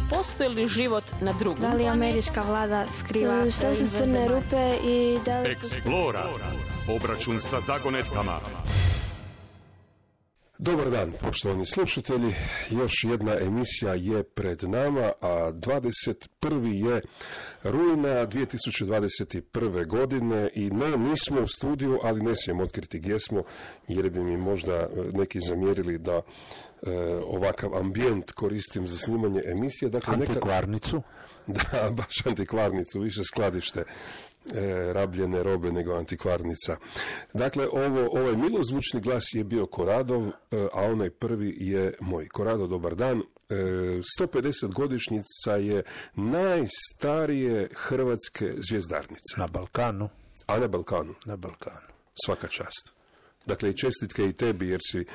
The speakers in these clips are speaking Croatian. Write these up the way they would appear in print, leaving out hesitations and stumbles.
postoji li život na drugom Da li američka vlada skriva šta su crne rupe i da li... Eksplora. Obračun sa zagonetkama. Dobar dan, poštovani slušatelji. Još jedna emisija je pred nama, a 21. je rujna 2021. godine i nismo u studiju, ali ne smijem otkriti gdje smo, jer bi mi možda neki zamjerili da ovakav ambijent koristim za snimanje emisije. Dakle, antikvarnicu? Da, baš antikvarnicu, više skladište rabljene robe nego antikvarnica. Dakle, ovaj milozvučni glas je bio Koradov, a onaj prvi je moj. Korado, dobar dan. 150 godišnjica je najstarije hrvatske zvjezdarnice. Na Balkanu. A na Balkanu? Na Balkanu. Svaka čast. Dakle, i čestitke i tebi, jer si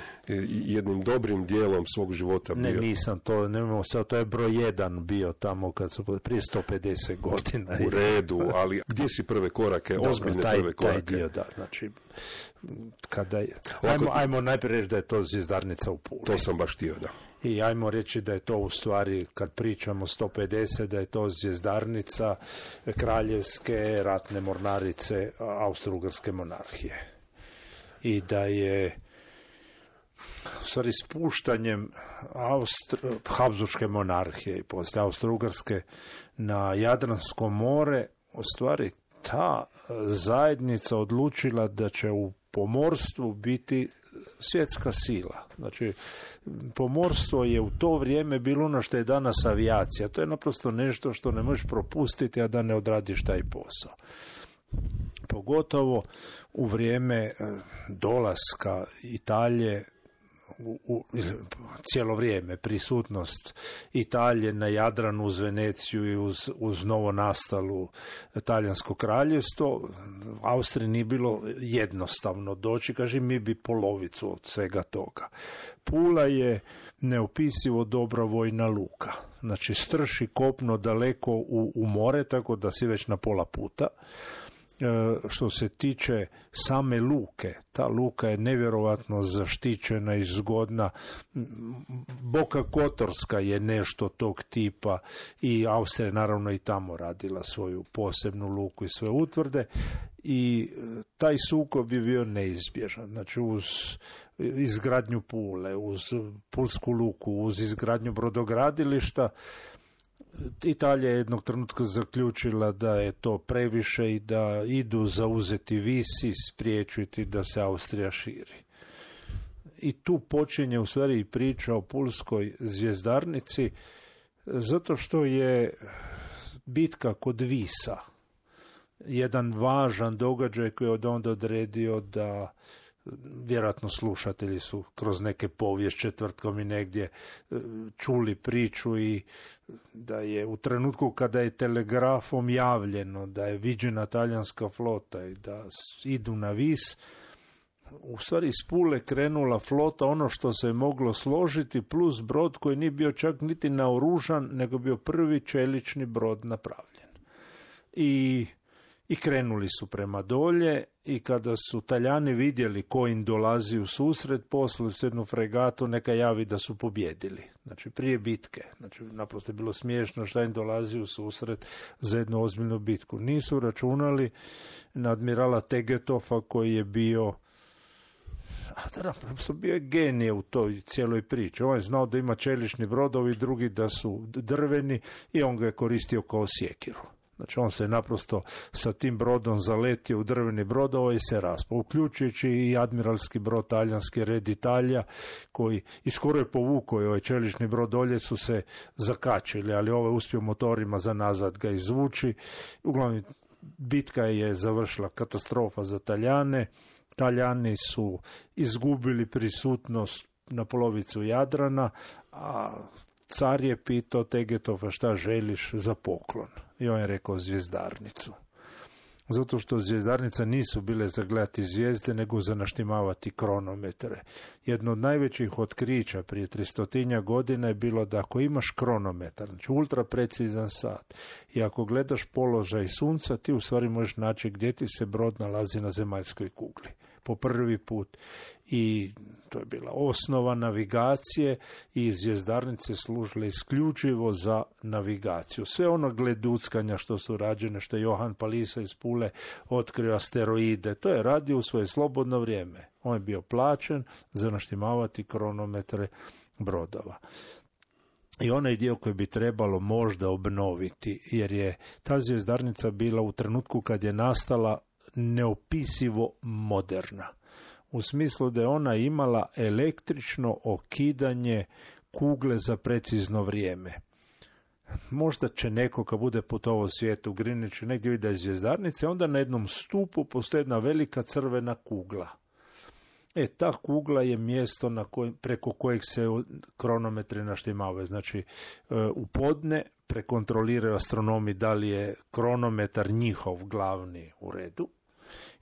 jednim dobrim dijelom svog života bio. Ne, nisam to, nemamo sad, to je broj 1 bio tamo kad su prije 150 godina. U redu, ali gdje si prve korake, ozbiljne prve korake? Taj dio, da, znači, kada je, ajmo najprije reći da je to zvjezdarnica u Puli. To sam baš htio, da. I ajmo reći da je to u stvari, kad pričamo 150, da je to zvjezdarnica kraljevske ratne mornarice Austro-Ugarske monarhije. I da je u stvari spuštanjem Habsburške monarhije i poslije Austro-Ugarske na Jadransko more u stvari ta zajednica odlučila da će u pomorstvu biti svjetska sila. Znači, pomorstvo je u to vrijeme bilo ono što je danas avijacija. To je naprosto nešto što ne možeš propustiti, a da ne odradiš taj posao. Pogotovo u vrijeme dolaska Italije, cijelo vrijeme prisutnost Italije na Jadranu uz Veneciju i uz novo nastalu Talijansko kraljevstvo, Austriji nije bilo jednostavno doći, kaže, mi bi polovicu od svega toga. Pula je neopisivo dobra vojna luka, znači strši kopno daleko u more, tako da si već na pola puta. Što se tiče same luke, ta luka je nevjerovatno zaštićena i zgodna. Boka Kotorska je nešto tog tipa i Austrija naravno i tamo radila svoju posebnu luku i sve utvrde i taj sukob je bio neizbježan. Znači uz izgradnju Pule, uz Pulsku luku, uz izgradnju brodogradilišta, Italija je jednog trenutka zaključila da je to previše i da idu zauzeti Vis i spriječiti da se Austrija širi. I tu počinje u stvari priča o pulskoj zvjezdarnici, zato što je bitka kod Visa jedan važan događaj koji je od onda odredio da, vjerojatno slušatelji su kroz neke povijest četvrtkom i negdje čuli priču i da je u trenutku kada je telegrafom javljeno da je viđena talijanska flota i da idu na Vis, u stvari iz Pule krenula flota, ono što se je moglo složiti, plus brod koji nije bio čak niti naoružan, nego bio prvi čelični brod napravljen. I krenuli su prema dolje i kada su Talijani vidjeli ko im dolazi u susret, poslali su jednu fregatu, neka javi da su pobjedili. Znači prije bitke. Znači naprosto je bilo smiješno šta im dolazi u susret za jednu ozbiljnu bitku. Nisu računali na admirala Tegetofa koji je bio bio je genije u toj cijeloj priči. On je znao da ima čelični brodovi, drugi da su drveni i on ga je koristio kao sjekiru. Znači on se naprosto sa tim brodom zaletio u drveni brod i se raspao, uključujući i admiralski brod talijanski Red Italija, koji i skoro je povukao ovaj čelični brod dolje, su se zakačili, ali ovaj uspio motorima za nazad ga izvući. Uglavnom, bitka je završila katastrofa za Talijane. Talijani su izgubili prisutnost na polovicu Jadrana, a car je pitao Tegetofa šta želiš za poklon. I on je rekao zvjezdarnicu. Zato što zvjezdarnica nisu bile za gledati zvijezde, nego za naštimavati kronometre. Jedno od najvećih otkrića prije 300 godina je bilo da ako imaš kronometar, znači ultra precizan sat, i ako gledaš položaj sunca, ti u stvari možeš naći gdje ti se brod nalazi na zemaljskoj kugli. po prvi put i to je bila osnova navigacije i zvjezdarnice služile isključivo za navigaciju. Sve ono gleduckanja što su rađene, što je Johan Palisa iz Pule otkrio asteroide, to je radio u svoje slobodno vrijeme. On je bio plaćen za naštimavati kronometre brodova. I onaj dio koji bi trebalo možda obnoviti, jer je ta zvjezdarnica bila u trenutku kad je nastala neopisivo moderna. U smislu da je ona imala električno okidanje kugle za precizno vrijeme. Možda će neko kad bude putovao svijetu u Greenwichu negdje vidi zvjezdarnice, onda na jednom stupu postoji jedna velika crvena kugla. Ta kugla je mjesto preko kojeg se kronometri naštimavaju. Znači, u podne prekontroliraju astronomi da li je kronometar njihov glavni u redu.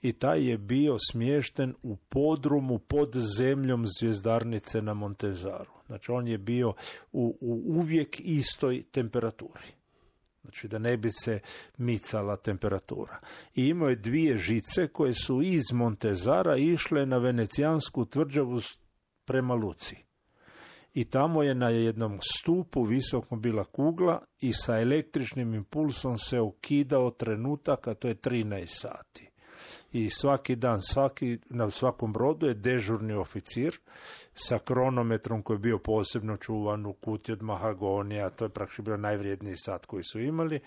I taj je bio smješten u podrumu pod zemljom zvjezdarnice na Montezaru. Znači, on je bio u uvijek istoj temperaturi. Znači, da ne bi se micala temperatura. I imao je 2 žice koje su iz Montezara išle na venecijansku tvrđavu prema Luci. I tamo je na jednom stupu visoko bila kugla i sa električnim impulsom se ukidao trenutak, a to je 13 sati. I svaki dan, na svakom brodu je dežurni oficir sa kronometrom koji je bio posebno čuvan u kutiji od mahagonija, to je praktično bio najvrijedniji sat koji su imali,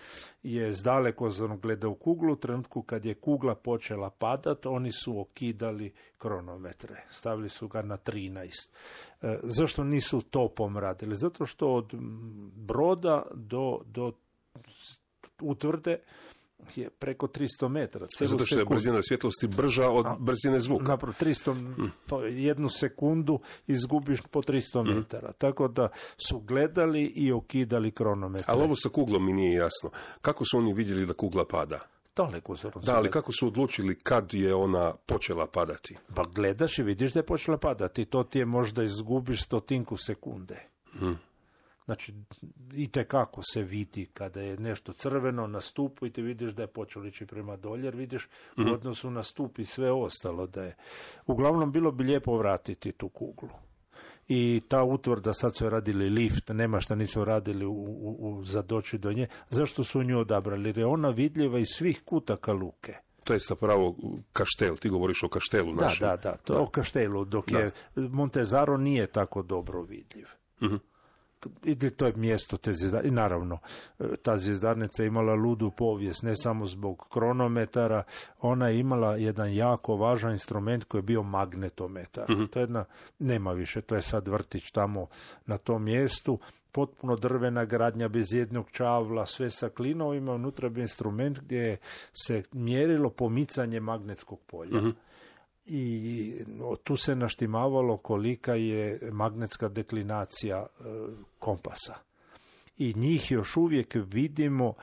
je zdalekozorno gledao kuglu. U trenutku kad je kugla počela padati, oni su okidali kronometre, stavili su ga na 13. Zašto nisu topom radili? Zato što od broda do utvrde je preko 300 metara. Zato što je brzina svjetlosti brža od brzine zvuka. Napravo, 1 sekundu izgubiš po 300 metara. Tako da su gledali i okidali kronometre. Ali ovo sa kuglom mi nije jasno. Kako su oni vidjeli da kugla pada? Dalekozorno. Da, ali kako su odlučili kad je ona počela padati? Pa gledaš i vidiš da je počela padati. To ti je možda izgubiš 100 sekunde. Znači, itekako se vidi kada je nešto crveno na stupu i ti vidiš da je počelo ići prema dolje, jer vidiš u odnosu na stup i sve ostalo da je. Uglavnom, bilo bi lijepo vratiti tu kuglu. I ta utvrda, sad su radili lift, nema šta nisu radili za doći do nje. Zašto su nju odabrali? Jer je ona vidljiva iz svih kutaka luke. To je zapravo kaštel, ti govoriš o kaštelu našem. Da, to je o kaštelu, dok je Montezaro nije tako dobro vidljiv. I to je mjesto te zvjezdarnice. I naravno, ta zvjezdarnica je imala ludu povijest, ne samo zbog kronometara, ona je imala jedan jako važan instrument koji je bio magnetometar. To je nema više, to je sad vrtić tamo na tom mjestu, potpuno drvena gradnja bez jednog čavla, sve sa klinovima, unutra bi instrument gdje se mjerilo pomicanje magnetskog polja. I tu se naštimavalo kolika je magnetska deklinacija kompasa. I njih još uvijek vidimo,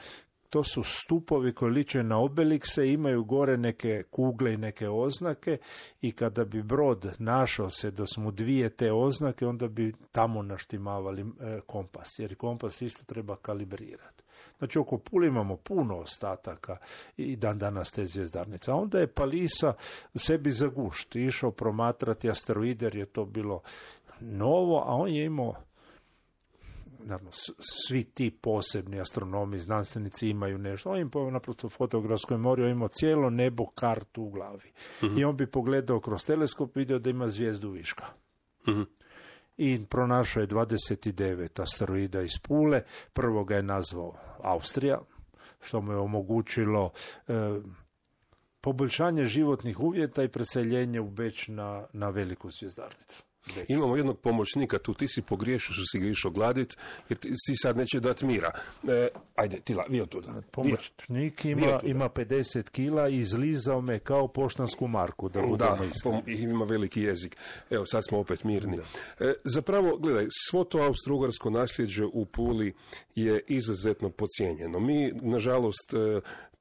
to su stupovi koji liče na obelikse, imaju gore neke kugle i neke oznake i kada bi brod našao se da su mu 2 te oznake, onda bi tamo naštimavali kompas, jer kompas isto treba kalibrirati. Znači, oko Pule imamo puno ostataka i dan danas te zvjezdarnice. A onda je Palisa sebi za gušt išao promatrati asteroide, jer je to bilo novo, a on je imao, naravno, svi ti posebni astronomi, znanstvenici imaju nešto. On im naprosto fotografskoj mori imao cijelo nebo kartu u glavi. I on bi pogledao kroz teleskop, vidio da ima zvijezdu viška. I pronašao je 29 asteroida iz Pule. Prvo ga je nazvao Austrija, što mu je omogućilo poboljšanje životnih uvjeta i preseljenje u Beč na veliku zvjezdarnicu. Imamo jednog pomoćnika tu, ti si pogriješio što si ga išao gladit, jer ti si sad neće dati mira. Ajde, Tila, vi od tuda. Pomoćnik ima 50 kila i izlizao me kao poštansku marku, da budemo iskreni. I ima veliki jezik. Evo, sad smo opet mirni. Zapravo, gledaj, svo to austro-ugarsko nasljeđe u Puli je izuzetno podcijenjeno. Mi, nažalost,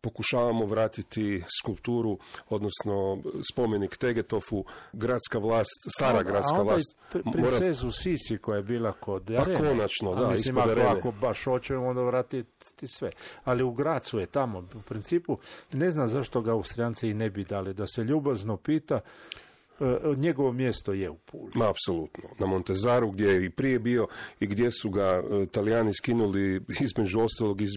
pokušavamo vratiti skulpturu, odnosno spomenik Tegetofu, gradska vlast, stara gradska vlast. princezu Sisi koja je bila kod Arene. Pa konačno, da, mislim, ispod Arene. Ako baš hoćemo, onda vratiti sve. Ali u Gracu je tamo, u principu, ne znam zašto ga Austrijanci i ne bi dali, da se ljubazno pita, njegovo mjesto je u Puli. Ma, apsolutno. Na Montezaru, gdje je i prije bio i gdje su ga Talijani skinuli između ostalog iz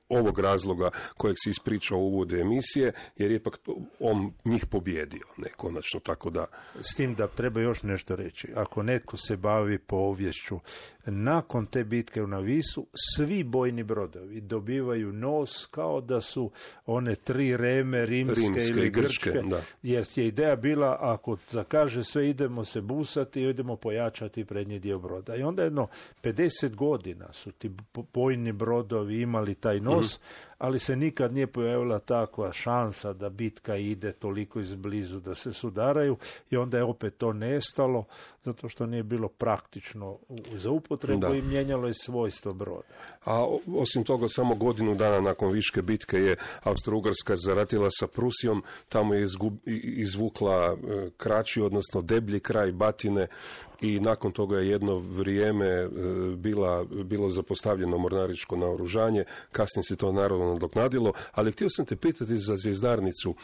ovog razloga kojeg se ispričao u uvodu emisije, jer je ipak on njih pobjedio, ne, konačno, tako da... S tim da treba još nešto reći. Ako netko se bavi poviješću, nakon te bitke na Visu, svi bojni brodovi dobivaju nos kao da su one 3 reme rimske ili grčke, da. Jer je ideja bila, ako zakaže sve, idemo se busati i idemo pojačati prednji dio broda. I onda jedno 50 godina su ti bojni brodovi imali taj nos, ali se nikad nije pojavila takva šansa da bitka ide toliko izblizu da se sudaraju i onda je opet to nestalo zato što nije bilo praktično za upotrebu i mijenjalo je svojstvo broda. A osim toga, samo godinu dana nakon Viške bitke je Austro-Ugarska zaratila sa Prusijom, tamo je izvukla kraći, odnosno deblji kraj Batine i nakon toga je jedno vrijeme bilo zapostavljeno mornaričko naoružanje, kasnije se to naravno nadoknadilo, ali htio sam te pitati za Zvjezdarnicu.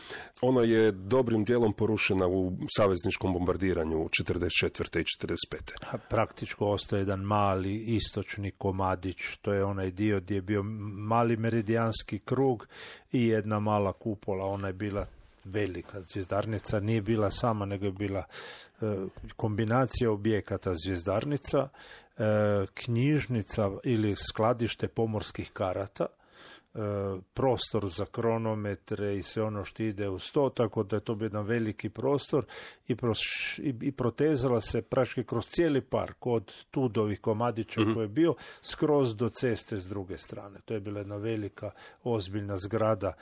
Ona je dobrim dijelom porušena u savezničkom bombardiranju 44. i 45. Praktičko ostaje jedan mali istočni komadić, to je onaj dio gdje je bio mali meridijanski krug i jedna mala kupola, ona je bila velika. Zvjezdarnica nije bila sama, nego je bila kombinacija objekata Zvjezdarnica, knjižnica ili skladište pomorskih karata, prostor za kronometre i sve ono što ide uz to, tako da je to bio jedan veliki prostor i protezala se praktički kroz cijeli park, od Tudovih komadića koji je bio, skroz do ceste s druge strane. To je bila jedna velika, ozbiljna zgrada,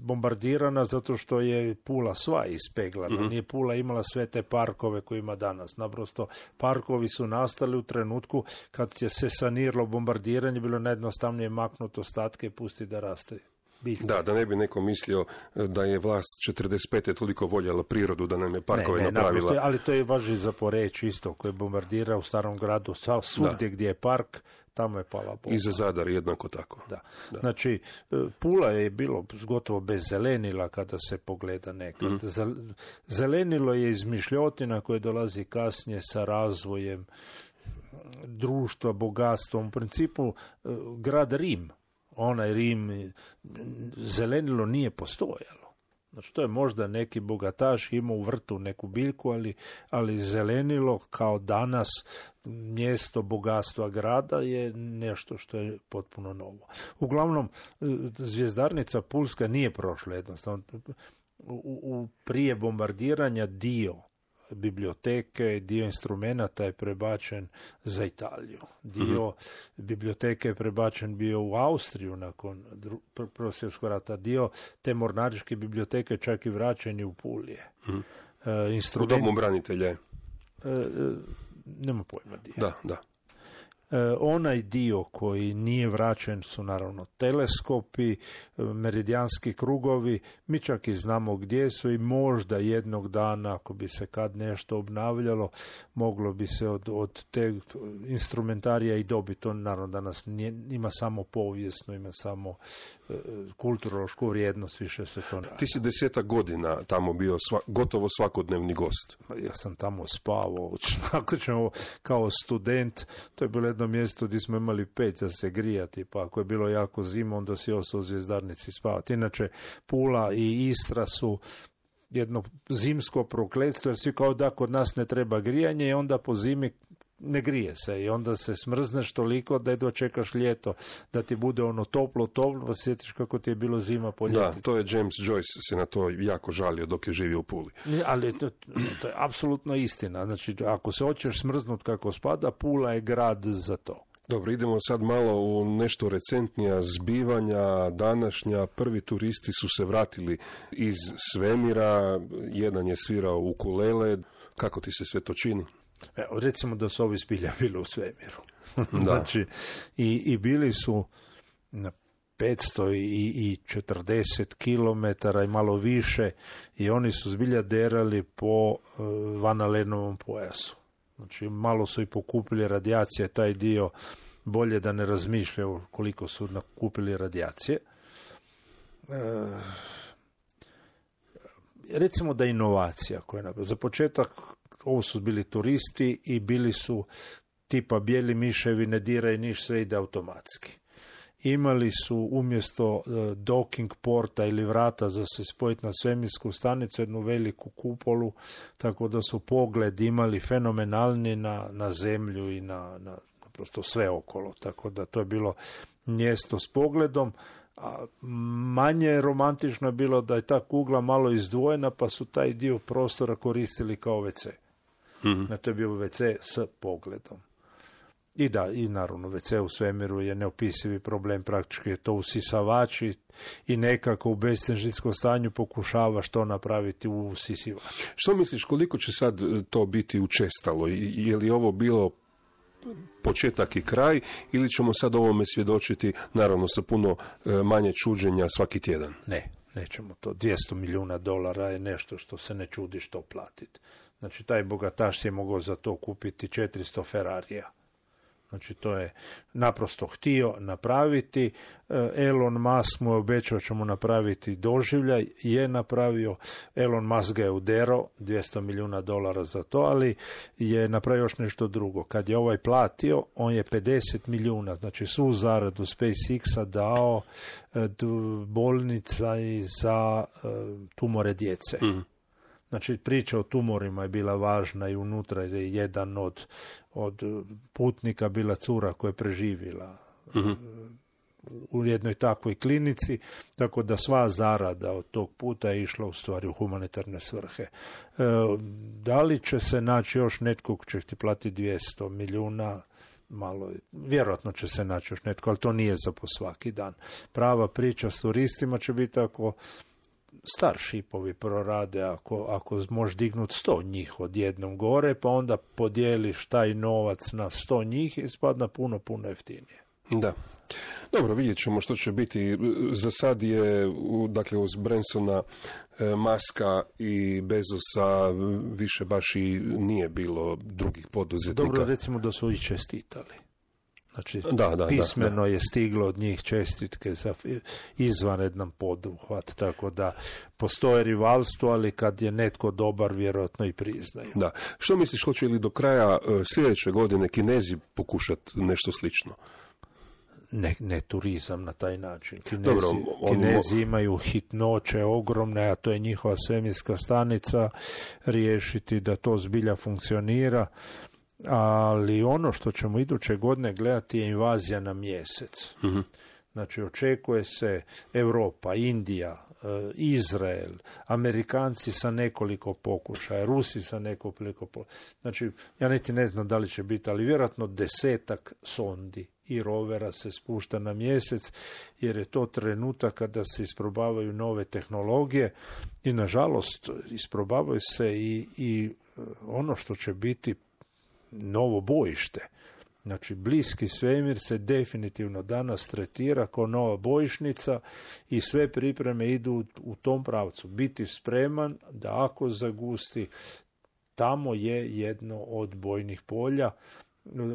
bombardirana zato što je Pula sva ispeglana. Nije Pula imala sve te parkove koje ima danas. Naprosto, parkovi su nastali u trenutku kad je se saniralo bombardiranje, bilo najjednostavnije maknuto ostatke i pusti da raste. Biljke. Da ne bi neko mislio da je vlast 45. toliko voljela prirodu da nam je parkove napravila. Naprosto, ali to je važi za Poreč isto, koji bombardira u starom gradu, svugdje gdje je park, tamo je pala bomba. I za Zadar jednako tako. Da. Znači, Pula je bilo gotovo bez zelenila kada se pogleda nekad. Zelenilo je izmišljotina koje dolazi kasnije sa razvojem društva, bogatstvom. U principu, grad Rim, onaj Rim, zelenilo nije postojalo. Znači, to je možda neki bogataš imao u vrtu neku biljku, ali zelenilo kao danas mjesto bogatstva grada je nešto što je potpuno novo. Uglavnom, Zvjezdarnica Pulska nije prošla jednostavno. Prije bombardiranja dio biblioteke, dio instrumenata je prebačen za Italiju. Dio biblioteke je prebačen bio u Austriju nakon Prvog svjetskog rata. Dio te mornaričke biblioteke čak i vraćen je u Pulije. U domu branitelja. Nema pojma dio. Da. Onaj dio koji nije vraćen su naravno teleskopi, meridijanski krugovi, mi čak i znamo gdje su i možda jednog dana, ako bi se kad nešto obnavljalo, moglo bi se od te instrumentarija i dobiti. To naravno danas ima samo povijesno, ima samo kulturološku vrijednost, više se to... Ti si 10 godina tamo bio gotovo svakodnevni gost. Ja sam tamo spavao, ako ćemo kao student, to je bilo jedno mjesto gdje smo imali peć za se grijati, pa ako je bilo jako zima, onda si ostao u Zvjezdarnici spavati. Inače, Pula i Istra su jedno zimsko prokletstvo, jer svi kao da kod nas ne treba grijanje i onda po zimi ne grije se i onda se smrzneš toliko da jedva čekaš ljeto, da ti bude ono toplo, pa sjetiš kako ti je bilo zima po ljeti. Da, to je James Joyce se na to jako žalio dok je živio u Puli. Ali to je apsolutno istina. Znači, ako se hoćeš smrznut kako spada, Pula je grad za to. Dobro, idemo sad malo u nešto recentnija zbivanja današnja. Prvi turisti su se vratili iz svemira, jedan je svirao ukulele. Kako ti se sve to čini? Recimo da su ovi zbilja bili u svemiru. Znači, i bili su 540 kilometara i malo više i oni su zbilja derali po Van Alenovom pojasu. Znači malo su i pokupili radijacije, taj dio bolje da ne razmišljaju koliko su nakupili radijacije. Recimo da inovacija koja je za početak, ovo su bili turisti i bili su tipa bijeli miševi, ne diraj niš, sve ide automatski. Imali su umjesto docking porta ili vrata za se spojiti na svemirsku stanicu jednu veliku kupolu, tako da su pogled imali fenomenalni na zemlju i na prosto sve okolo. Tako da to je bilo mjesto s pogledom. A manje romantično je bilo da je ta kugla malo izdvojena, pa su taj dio prostora koristili kao WC. Mm-hmm. To je bio WC s pogledom. I da, i naravno WC u svemiru je neopisivi problem, praktički je to usisavač i nekako u bestežinskom stanju pokušavaš to napraviti u usisivač. Što misliš, koliko će sad to biti učestalo? Je li ovo bilo početak i kraj ili ćemo sad ovome svjedočiti naravno sa puno manje čuđenja svaki tjedan? Ne, nećemo to. $200 milijuna je nešto što se ne čudi što platiti. Znači taj bogataš je mogao za to kupiti 400 Ferrarija. Znači to je naprosto htio napraviti. Elon Musk mu je obećao ćemo napraviti doživljaj, je napravio. Elon Musk ga je uderao, $200 milijuna za to, ali je napravio još nešto drugo. Kad je ovaj platio, on je 50 milijuna, znači svu zaradu SpaceX-a dao bolnica i za tumore djece. Mm. Znači, priča o tumorima je bila važna i unutra je jedan od putnika bila cura koja je preživjela u jednoj takvoj klinici, tako da sva zarada od tog puta je išla u stvari u humanitarne svrhe. Da li će se naći još netko ko će ti platiti 200 milijuna? Malo, vjerojatno će se naći još netko, ali to nije za po svaki dan. Prava priča s turistima će biti ako starshipovi prorade, ako možeš dignuti 100 njih odjednom gore, pa onda podijeliš taj novac na 100 njih i spadna puno jeftinije. Da. Dobro, vidjet ćemo što će biti. Za sad je, dakle, uz Bransona, Muska i Bezosa više baš i nije bilo drugih poduzetnika. Dobro, recimo da su i čestitali. Znači, pismeno je stiglo od njih čestitke za izvanredan poduhvat, tako da postoje rivalstvo, ali kad je netko dobar, vjerojatno i priznaju. Da. Što misliš, hoće li do kraja sljedeće godine Kinezi pokušati nešto slično? Ne turizam na taj način. Kinezi imaju hitnoće ogromne, a to je njihova svemirska stanica, riješiti da to zbilja funkcionira. Ali ono što ćemo iduće godine gledati je invazija na mjesec. Mm-hmm. Znači očekuje se Europa, Indija, Izrael, Amerikanci sa nekoliko pokušaja, Rusi sa nekoliko pokušaja. Znači ja niti ne znam da li će biti, ali vjerojatno 10 sondi i rovera se spušta na mjesec, jer je to trenutak kada se isprobavaju nove tehnologije i nažalost isprobavaju se i ono što će biti novo bojište. Znači, bliski svemir se definitivno danas tretira kao nova bojišnica i sve pripreme idu u tom pravcu. Biti spreman da ako zagusti, tamo je jedno od bojnih polja,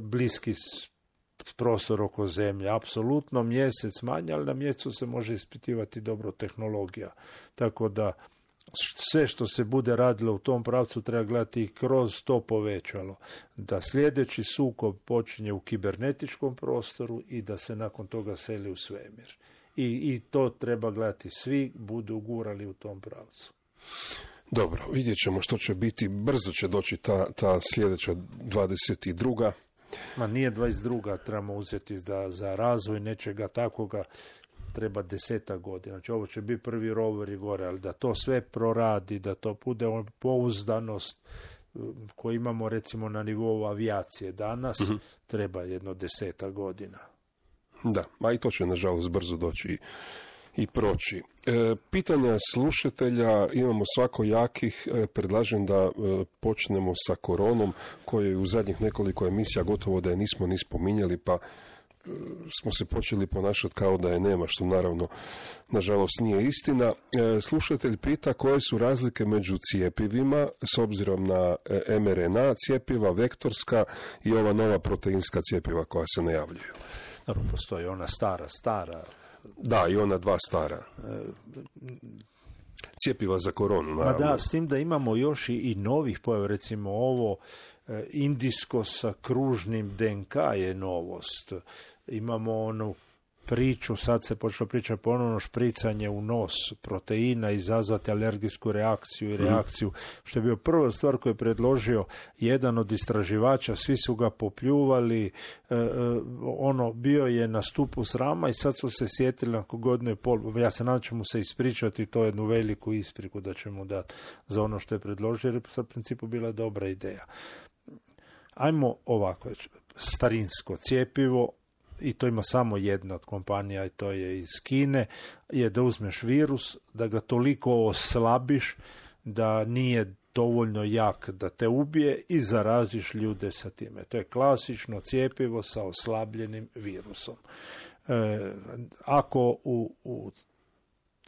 bliski prostor oko zemlje. Apsolutno mjesec manje, ali na mjesecu se može ispitivati dobro tehnologija. Tako da sve što se bude radilo u tom pravcu treba gledati i kroz to povećalo. Da sljedeći sukob počinje u kibernetičkom prostoru i da se nakon toga seli u svemir. I to treba gledati. Svi budu gurali u tom pravcu. Dobro, vidjet ćemo što će biti. Brzo će doći ta sljedeća 22. Ma nije 22. trebamo uzeti za razvoj nečega takoga. Treba 10 godina. Znači ovo će biti prvi rover i gore, ali da to sve proradi, da to bude pouzdanost koju imamo recimo na nivou avijacije danas, treba jedno 10 godina. Da, a i to će nažalost brzo doći i proći. Pitanja slušatelja imamo svakojakih. Predlažem da počnemo sa koronom, koju u zadnjih nekoliko emisija gotovo da je nismo ni spominjali, pa smo se počeli ponašati kao da je nema, što naravno, nažalost, nije istina. Slušatelj pita koje su razlike među cjepivima s obzirom na mRNA cjepiva, vektorska i ova nova proteinska cjepiva koja se najavljuju. Naravno, postoji ona stara. Da, i ona dva stara. Cjepiva za koronu, naravno. Da, s tim da imamo još i novih pojava, recimo ovo indijsko sa kružnim DNK je novost. Imamo onu priču, sad se počelo pričati ponovno, špricanje u nos proteina, izazvati alergijsku reakciju i reakciju, što je bio prva stvar koju je predložio jedan od istraživača, svi su ga popljuvali, bio je na stupu srama i sad su se sjetili nakon godinu i pol, ja se nadam ću mu se ispričati to jednu veliku ispriku da će mu dati za ono što je predložio, jer je u principu bila dobra ideja. Ajmo ovako, starinsko cjepivo, i to ima samo jedna od kompanija i to je iz Kine, je da uzmeš virus, da ga toliko oslabiš da nije dovoljno jak da te ubije i zaraziš ljude sa time. To je klasično cjepivo sa oslabljenim virusom. Ako u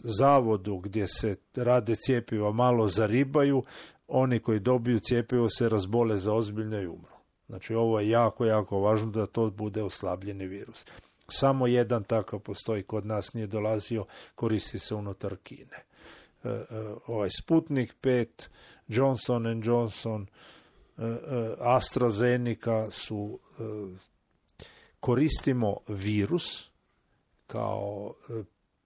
zavodu gdje se rade cjepiva malo zaribaju, oni koji dobiju cjepivo se razbole za ozbiljno i umru. Znači ovo je jako, jako važno da to bude oslabljeni virus. Samo jedan takav postoji kod nas, nije dolazio, koristi se unutar Kine. Ovaj Sputnik 5, Johnson & Johnson, AstraZeneca su, koristimo virus kao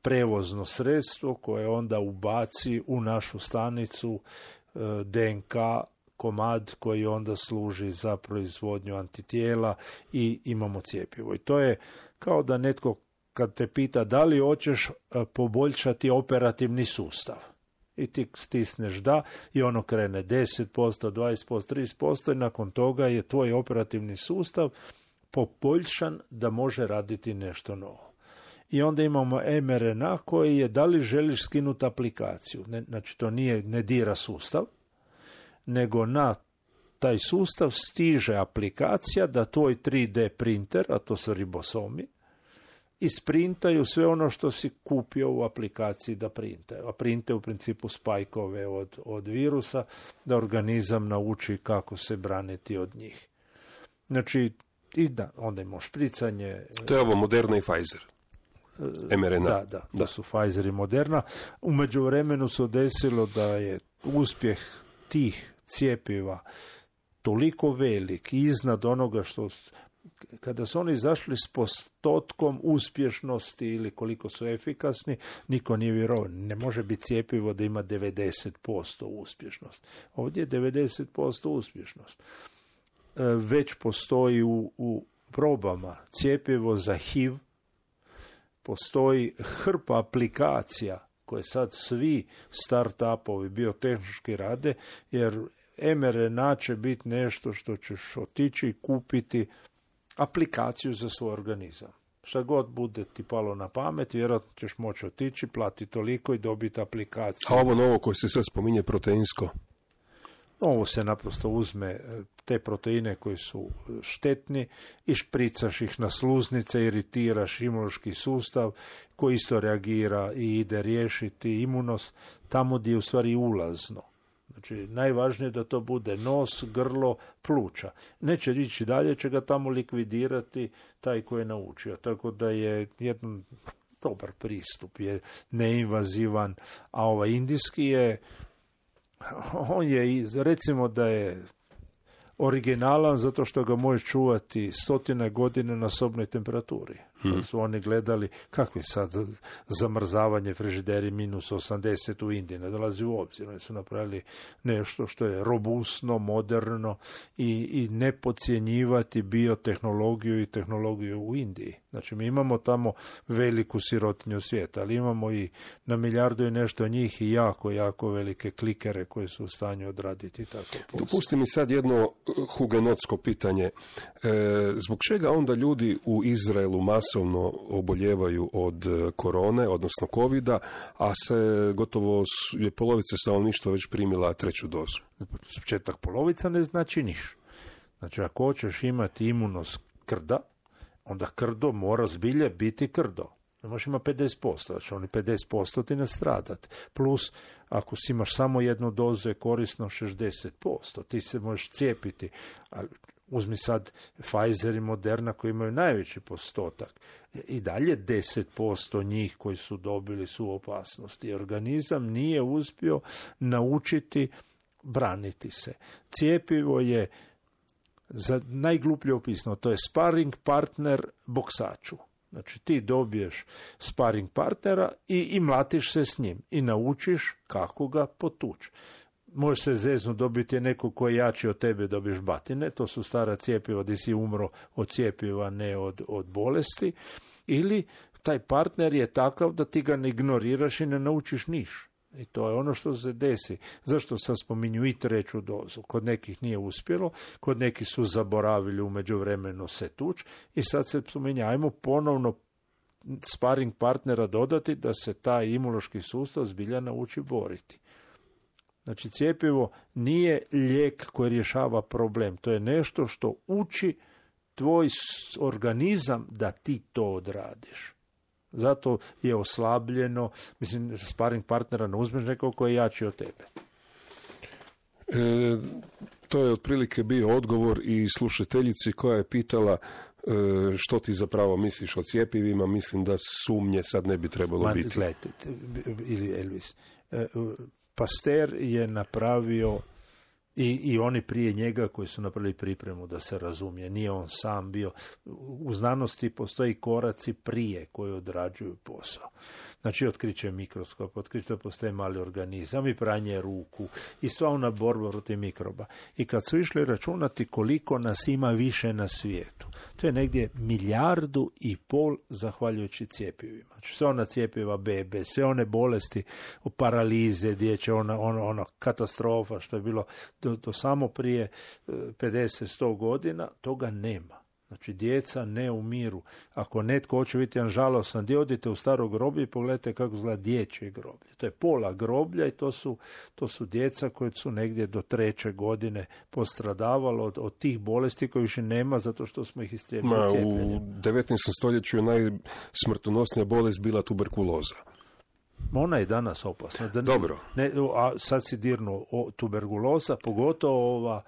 prevozno sredstvo koje onda ubaci u našu stanicu DNK komad koji onda služi za proizvodnju antitijela i imamo cjepivo. I to je kao da netko kad te pita da li hoćeš poboljšati operativni sustav. I ti stisneš da i ono krene 10%, 20%, 30% i nakon toga je tvoj operativni sustav poboljšan da može raditi nešto novo. I onda imamo mRNA koji je da li želiš skinuti aplikaciju. Znači to ne dira sustav, nego na taj sustav stiže aplikacija da tvoj 3D printer, a to su ribosomi, isprintaju sve ono što si kupio u aplikaciji da printaju. A printe u principu spajkove od virusa, da organizam nauči kako se braniti od njih. Znači, i da, onda imamo špricanje. To je ovo Moderna i Pfizer. mRNA. Da su Pfizer i Moderna. U međuvremenu se desilo da je uspjeh tih cjepiva toliko velik iznad onoga što kada su oni izašli s postotkom uspješnosti ili koliko su efikasni, niko nije vjerovao. Ne može biti cjepivo da ima 90% uspješnost. Ovdje je 90% uspješnost. Već postoji u probama cjepivo za HIV, postoji hrpa aplikacija koje sad svi start-upovi biotehnički rade, jer mRNA će biti nešto što ćeš otići i kupiti aplikaciju za svoj organizam. Šta god bude ti palo na pamet, vjerojatno ćeš moći otići, platiti toliko i dobiti aplikaciju. A ovo novo koje se sad spominje, proteinsko? Ovo se naprosto uzme te proteine koji su štetni i špricaš ih na sluznice, iritiraš imunološki sustav koji isto reagira i ide riješiti imunost tamo gdje je u stvari ulazno. Znači, najvažnije je da to bude nos, grlo, pluća. Neće ići dalje, će ga tamo likvidirati taj koji je naučio. Tako da je jedan dobar pristup, je neinvazivan, a ovaj indijski je, on je, recimo da je originalan zato što ga može čuvati 100 godina na sobnoj temperaturi. Su oni gledali kakvi sad zamrzavanje frižideri minus 80 u Indiji, ne dolazi u obzir. Oni su napravili nešto što je robustno, moderno i ne podcjenjivati biotehnologiju i tehnologiju u Indiji. Znači mi imamo tamo veliku sirotinju svijeta, ali imamo i na milijardu i nešto njih i jako, jako velike klikere koji su u stanju odraditi tako posao. Dopusti mi sad jedno hugenotsko pitanje. Zbog čega onda ljudi u Izraelu masovno oboljevaju od korone, odnosno covida, a se gotovo je polovica stanovništva već primila 3. dozu? Početak polovica ne znači ništa. Znači ako hoćeš imati imunost krda, onda krdo mora zbilje biti krdo. Ne možeš ima 50%, znači oni 50% ti nastradat. Plus, ako si imaš samo jednu dozu, je korisno 60%. Ti se možeš cijepiti. Ali uzmi sad Pfizer i Moderna koji imaju najveći postotak. I dalje 10% njih koji su dobili su u opasnosti. Organizam nije uspio naučiti braniti se. Cijepivo je, za najgluplje opisano, to je sparring partner boksaču. Znači ti dobiješ sparring partnera i mlatiš se s njim i naučiš kako ga potući. Može se zeznu dobiti neko koji je jači od tebe, dobiješ batine, to su stara cjepiva gdje si umro od cjepiva, ne od bolesti, ili taj partner je takav da ti ga ne ignoriraš i ne naučiš niš. I to je ono što se desi. Zašto sad spominju i treću dozu? Kod nekih nije uspjelo, kod nekih su zaboravili u međuvremenu se tuć i sad se spominje, ajmo ponovno sparing partnera dodati da se taj imunološki sustav zbilja nauči boriti. Znači, cjepivo nije lijek koji rješava problem. To je nešto što uči tvoj organizam da ti to odradiš. Zato je oslabljeno, mislim, sparing partnera ne uzmeš nekog koji je jači od tebe. To je otprilike bio odgovor i slušateljici koja je pitala što ti zapravo misliš o cjepivima. Mislim da sumnje sad ne bi trebalo biti. Gledajte, ili Elvis, Pasteur je napravio i oni prije njega koji su napravili pripremu, da se razumije, nije on sam bio. U znanosti postoji koraci prije koji odrađuju posao. Znači, otkriće mikroskop, otkriće da postoje mali organizam i pranje ruku i sva ona borba protiv mikroba. I kad su išli računati koliko nas ima više na svijetu, to je negdje 1,5 milijardu zahvaljujući cjepivima. Znači, sve ona cjepiva bebe, sve one bolesti, paralize, dječje, ona katastrofa što je bilo do samo prije 50-100 godina, toga nema. Znači, djeca ne umiru. Ako netko hoće biti jedan žalostan, gdje odite u staro groblje i pogledajte kako izgleda dječje groblje. To je pola groblja i to su djeca koje su negdje do 3. godine postradavalo od tih bolesti koje više nema zato što smo ih istrijebili cijepljenjem. U 19. stoljeću je najsmrtonosnija bolest bila tuberkuloza. Ona je danas opasna. Dobro. A sad si dirnuo tuberkuloza, pogotovo ova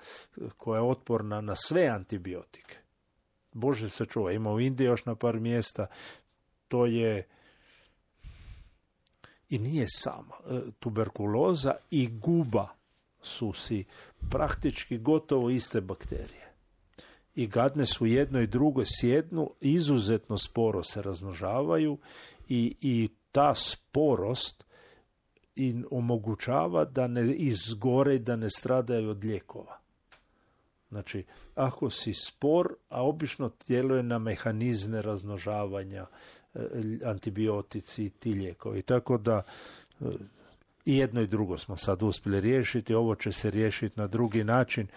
koja je otporna na sve antibiotike. Bože se čuva, ima u Indiji još na par mjesta, to je i nije sama. Tuberkuloza i guba su si praktički gotovo iste bakterije. I gadne su jedno i drugo sjednu, izuzetno sporo se razmnožavaju i ta sporost im omogućava da ne izgore i da ne stradaju od lijekova. Znači, ako si spor, a obično djeluje na mehanizme razmnožavanja, antibiotici i ti lijekovi. Tako da i jedno i drugo smo sad uspjeli riješiti, ovo će se riješiti na drugi način.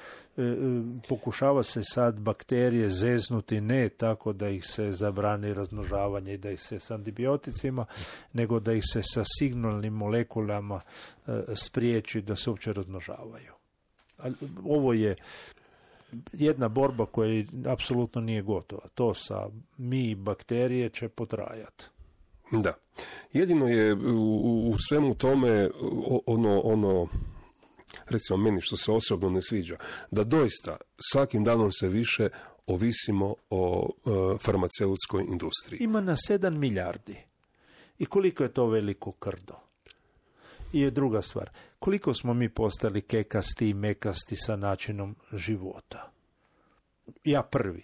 Pokušava se sad bakterije zeznuti ne tako da ih se zabrani razmnožavanje i da ih se s antibioticima, nego da ih se sa signalnim molekulama spriječi da se uopće razmnožavaju. Ali ovo je jedna borba koja apsolutno nije gotova. To sa mi bakterije će potrajati. Da. Jedino je u svemu tome ono recimo meni što se osobno ne sviđa, da doista svakim danom se više ovisimo o farmaceutskoj industriji. Ima na 7 milijardi. I koliko je to veliko krdo? I druga stvar, koliko smo mi postali kekasti i mekasti sa načinom života? Ja prvi.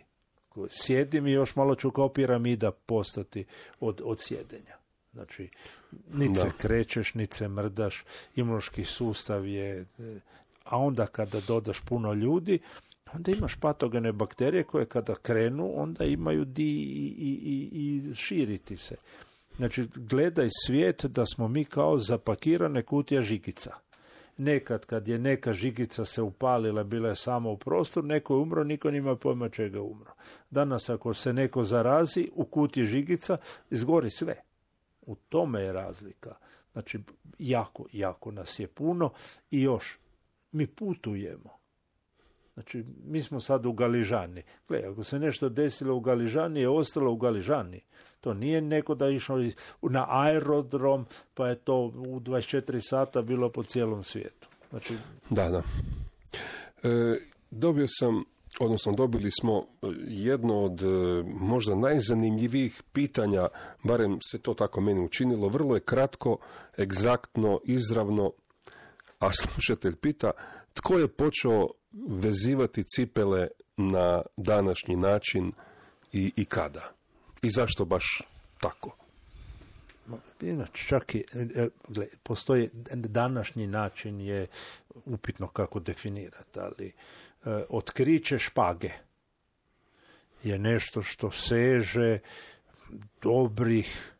Sjedim i još malo ću kao piramida postati od sjedenja. Znači, niti se krećeš, niti se mrdaš, imunološki sustav je... A onda kada dodaš puno ljudi, onda imaš patogene bakterije koje kada krenu, onda imaju i širiti se. Znači, gledaj svijet da smo mi kao zapakirane kutija žigica. Nekad kad je neka žigica se upalila, bila je samo u prostoru, neko je umro, niko nima pojma čega je umro. Danas ako se neko zarazi, u kutiji žigica izgori sve. U tome je razlika. Znači, jako nas je puno i još mi putujemo. Znači, mi smo sad u Galižani. Gle, ako se nešto desilo u Galižani, je ostalo u Galižani. To nije neko da je išao na aerodrom, pa je to u 24 sata bilo po cijelom svijetu. Znači... Da. Dobili smo jedno od možda najzanimljivijih pitanja, barem se to tako meni učinilo, vrlo je kratko, egzaktno, izravno, a slušatelj pita tko je počeo vezivati cipele na današnji način i kada? I zašto baš tako? Inače, čak i, postoji današnji način je upitno kako definirati, ali otkriće špage je nešto što seže dobrih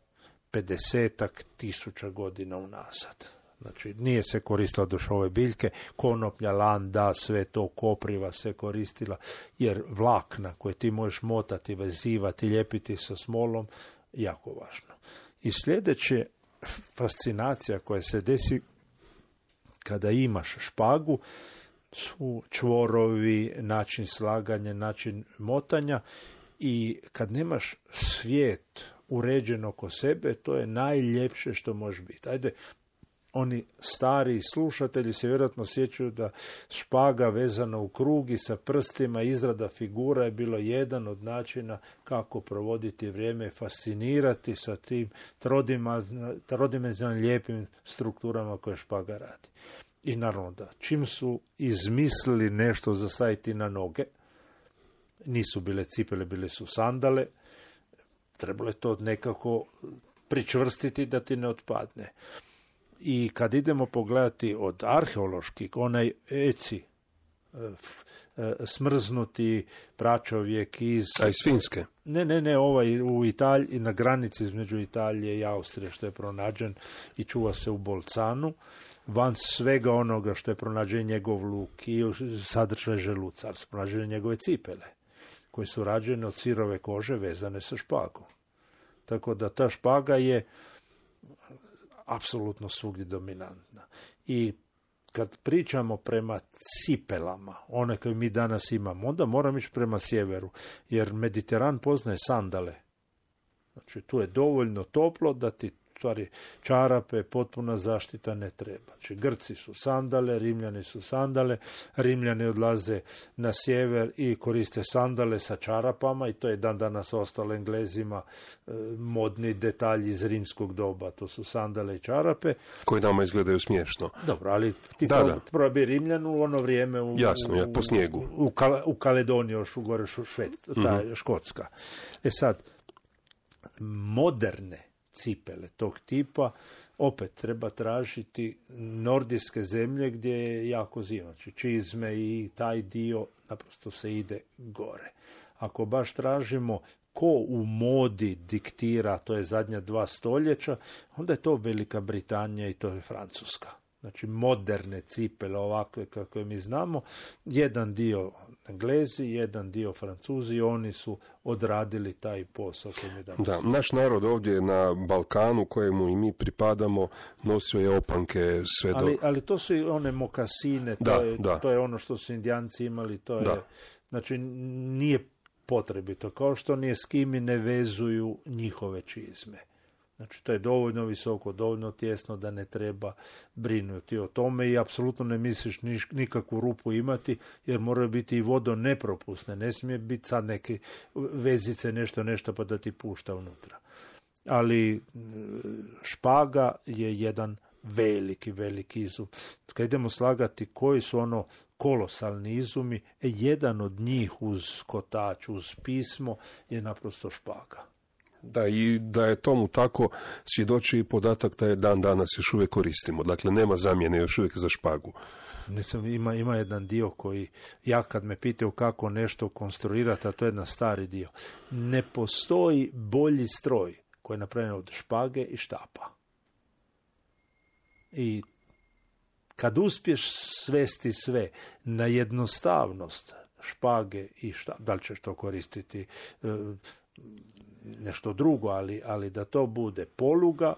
50.000 godina unazad. Znači, nije se koristila doš ove biljke, konoplja, landa, sve to, kopriva se koristila, jer vlakna koje ti možeš motati, vezivati, lijepiti sa smolom, jako važno. I sljedeće fascinacija koja se desi kada imaš špagu su čvorovi, način slaganja, način motanja i kad nemaš svijet uređen oko sebe, to je najljepše što može biti. Ajde, oni stari slušatelji se vjerojatno sjećaju da špaga vezana u krug i sa prstima, izrada figura je bilo jedan od načina kako provoditi vrijeme, fascinirati sa tim trodimenzionalnim lijepim strukturama koje špaga radi. I naravno da, čim su izmislili nešto za staviti na noge, nisu bile cipele, bile su sandale, trebalo je to nekako pričvrstiti da ti ne otpadne. I kad idemo pogledati od arheoloških, onaj eci, smrznuti pračovjek iz... A iz Finske? Ne, ovaj u Italiji, na granici između Italije i Austrije što je pronađen i čuva se u Bolcanu, van svega onoga što je pronađen njegov luk i sadržaj želuca, su pronađene njegove cipele, koje su rađene od sirove kože vezane sa špagom. Tako da ta špaga je apsolutno svugdje dominantna. I kad pričamo prema cipelama, one koje mi danas imamo, onda moramo ići prema sjeveru, jer Mediteran poznaje sandale. Znači, tu je dovoljno toplo da ti stvari čarape, potpuna zaštita ne treba. Znači, Grci su sandale, Rimljani su sandale, Rimljani odlaze na sjever i koriste sandale sa čarapama i to je dan danas ostalo Englezima modni detalji iz rimskog doba. To su sandale i čarape. Koji nama izgledaju smiješno. Dobro, ali ti probi Rimljanu u ono vrijeme po snijegu. U Kaledoniji, još u gore Škotska. Sad, moderne cipele tog tipa, opet treba tražiti nordijske zemlje gdje je jako zima. Znači čizme i taj dio naprosto se ide gore. Ako baš tražimo ko u modi diktira, to je zadnja 2 stoljeća, onda je to Velika Britanija i to je Francuska. Znači moderne cipele ovakve kakve mi znamo, jedan dio Englezi, jedan dio Francuzi, oni su odradili taj posao koji mi danas. Da, naš narod ovdje na Balkanu, kojemu i mi pripadamo, nosio je opanke sve do... Ali to su i one mokasine, to je ono što su Indijanci imali, to je... Znači, nije potrebito, kao što ni Eskimi ne vezuju njihove čizme. Znači, to je dovoljno visoko, dovoljno tjesno da ne treba brinuti o tome i apsolutno ne misliš nikakvu rupu imati, jer moraju biti i vodonepropusne. Ne smije biti sad neke vezice, nešto pa da ti pušta unutra. Ali špaga je jedan veliki izum. Kad idemo slagati koji su ono kolosalni izumi, jedan od njih uz kotač, uz pismo je naprosto špaga. Da, i da je tomu tako svjedoči i podatak da je dan danas još uvijek koristimo. Dakle, nema zamjene još uvijek za špagu. Ima jedan dio koji, ja kad me pitaju kako nešto konstruirati, a to je jedan stari dio. Ne postoji bolji stroj koji je napravljen od špage i štapa. I kad uspješ svesti sve na jednostavnost špage i štapa, da li ćeš to koristiti nešto drugo, ali da to bude poluga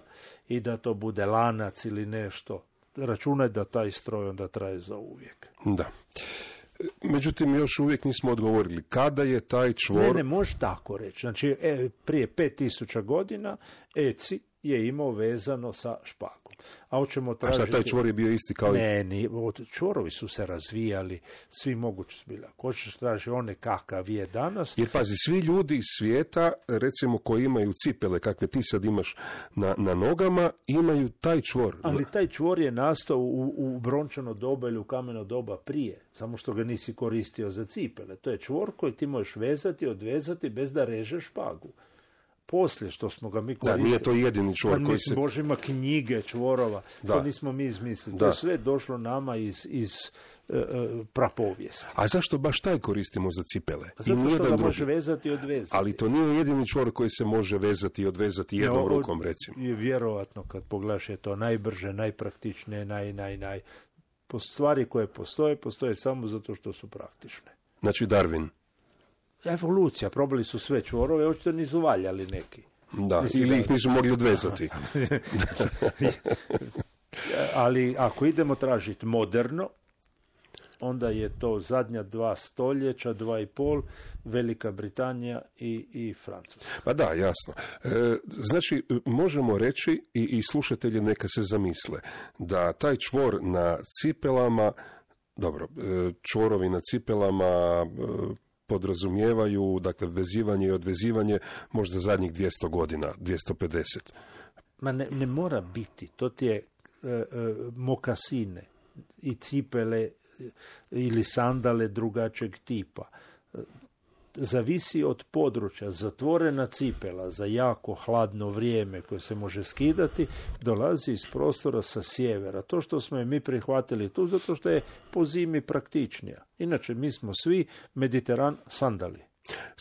i da to bude lanac ili nešto, računaj da taj stroj onda traje za uvijek. Da. Međutim, još uvijek nismo odgovorili kada je taj čvor... Ne može tako reći. Znači, prije 5000 godina Eci je imao vezano sa špagom. A hoćemo tražiti... A šta, taj čvor je bio isti kao... Ne, čvorovi su se razvijali, svi mogući su bili. Ako hoćeš tražiti one kakav je danas... Jer pazi, svi ljudi iz svijeta, recimo koji imaju cipele, kakve ti sad imaš na nogama, imaju taj čvor. Ali taj čvor je nastao u brončano doba ili u kameno doba prije, samo što ga nisi koristio za cipele. To je čvor koji ti možeš vezati, odvezati bez da režeš špagu. Poslije što smo ga mi koristili... Da, nije to jedini čvor koji se... Bože, ima knjige čvorova, to nismo mi izmislili. To je sve došlo nama iz prapovijesti. A zašto baš taj koristimo za cipele? Zato što ga može vezati i odvezati. Ali to nije jedini čvor koji se može vezati i odvezati jednom rukom, recimo. Je vjerovatno, kad pogledaš, je to najbrže, najpraktičnije, stvari koje postoje samo zato što su praktične. Znači Darwin. Evolucija, probali su sve čvorove, očito nisu valjali neki. Da, ili ih nisu mogli odvezati. Ali ako idemo tražiti moderno, onda je to zadnja 2 stoljeća, 2,5, Velika Britanija i Francuska. Pa da, jasno. Znači, možemo reći i slušatelji neka se zamisle da taj čvor na cipelama, dobro, čvorovi na cipelama podrazumijevaju, dakle, vezivanje i odvezivanje možda zadnjih 200 godina, 250. Ma ne mora biti. To ti je mokasine i cipele ili sandale drugačijeg tipa. Zavisi od područja. Zatvorena cipela za jako hladno vrijeme koje se može skidati dolazi iz prostora sa sjevera. To što smo je mi prihvatili tu zato što je po zimi praktičnija. Inače, mi smo svi Mediteran sandali.